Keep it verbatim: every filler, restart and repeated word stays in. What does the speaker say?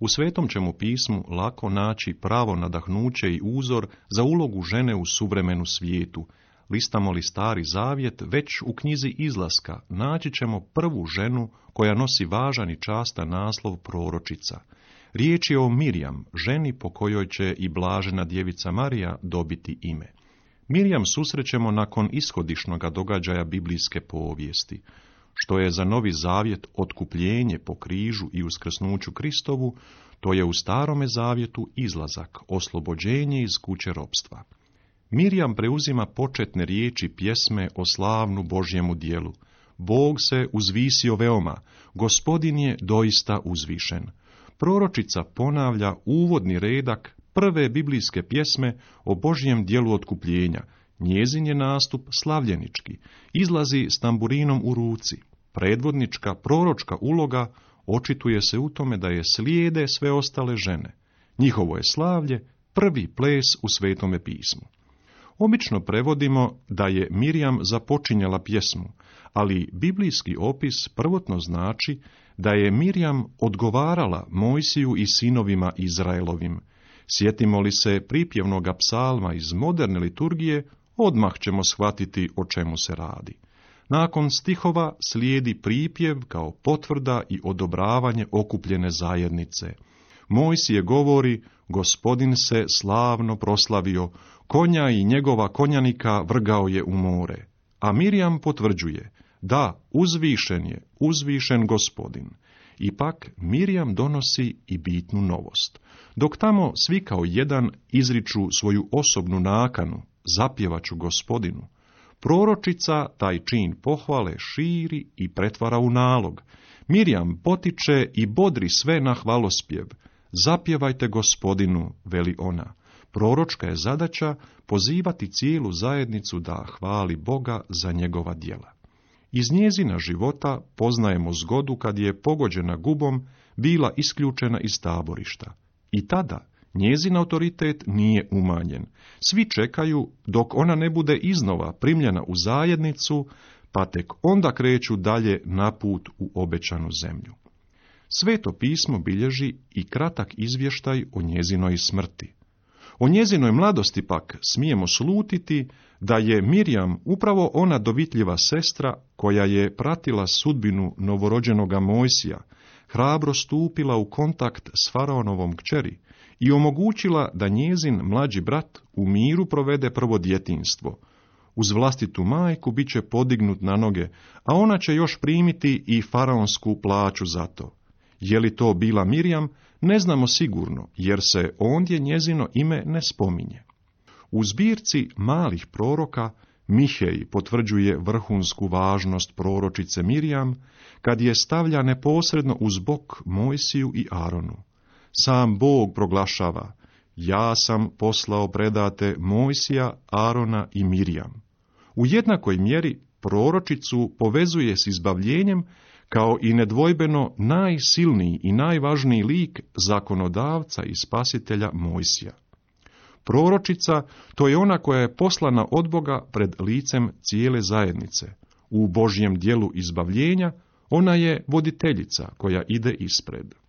U Svetom ćemo pismu lako naći pravo nadahnuće i uzor za ulogu žene u suvremenu svijetu. Listamo li Stari Zavjet, već u knjizi Izlaska naći ćemo prvu ženu koja nosi važan i častan naslov proročica. Riječ je o Mirjam, ženi po kojoj će i blažena djevica Marija dobiti ime. Mirjam susrećemo nakon ishodišnoga događaja biblijske povijesti. Što je za Novi Zavjet otkupljenje po križu i uskrsnuću Kristovu, to je u Starome Zavjetu izlazak, oslobođenje iz kuće ropstva. Mirjam preuzima početne riječi pjesme o slavnu Božjemu djelu. Bog se uzvisio veoma, Gospodin je doista uzvišen. Proročica ponavlja uvodni redak prve biblijske pjesme o Božjem djelu otkupljenja. Njezin je nastup slavljenički, izlazi s tamburinom u ruci. Predvodnička, proročka uloga očituje se u tome da je slijede sve ostale žene. Njihovo je slavlje prvi ples u Svetome pismu. Obično prevodimo da je Mirjam započinjala pjesmu, ali biblijski opis prvotno znači da je Mirjam odgovarala Mojsiju i sinovima Izraelovim. Sjetimo li se pripjevnoga psalma iz moderne liturgije, odmah ćemo shvatiti o čemu se radi. Nakon stihova slijedi pripjev kao potvrda i odobravanje okupljene zajednice. Mojsije govori, Gospodin se slavno proslavio, konja i njegova konjanika vrgao je u more. A Mirjam potvrđuje, da, uzvišen je, uzvišen Gospodin. Ipak Mirjam donosi i bitnu novost. Dok tamo svi kao jedan izriču svoju osobnu nakanu, zapjevaću Gospodinu, proročica taj čin pohvale širi i pretvara u nalog. Mirjam potiče i bodri sve na hvalospjev. Zapjevajte Gospodinu, veli ona. Proročka je zadaća pozivati cijelu zajednicu da hvali Boga za njegova djela. Iz njezina života poznajemo zgodu kad je pogođena gubom bila isključena iz taborišta. I tada njezin autoritet nije umanjen. Svi čekaju dok ona ne bude iznova primljena u zajednicu, pa tek onda kreću dalje na put u obećanu zemlju. Sveto pismo bilježi i kratak izvještaj o njezinoj smrti. O njezinoj mladosti pak smijemo slutiti da je Mirjam upravo ona dovitljiva sestra koja je pratila sudbinu novorođenoga Mojsija, hrabro stupila u kontakt s faraonovom kćeri i omogućila da njezin mlađi brat u miru provede prvo djetinjstvo. Uz vlastitu majku bit će podignut na noge, a ona će još primiti i faraonsku plaću za to. Je li to bila Mirjam, ne znamo sigurno, jer se ondje njezino ime ne spominje. U zbirci malih proroka Mihej potvrđuje vrhunsku važnost proročice Mirjam, kad je stavlja neposredno uz bok Mojsiju i Aronu. Sam Bog proglašava, ja sam poslao predate Mojsija, Arona i Mirjam. U jednakoj mjeri proročicu povezuje s izbavljenjem kao i nedvojbeno najsilniji i najvažniji lik zakonodavca i spasitelja Mojsija. Proročica, to je ona koja je poslana od Boga pred licem cijele zajednice. U Božjem djelu izbavljenja ona je voditeljica koja ide ispred.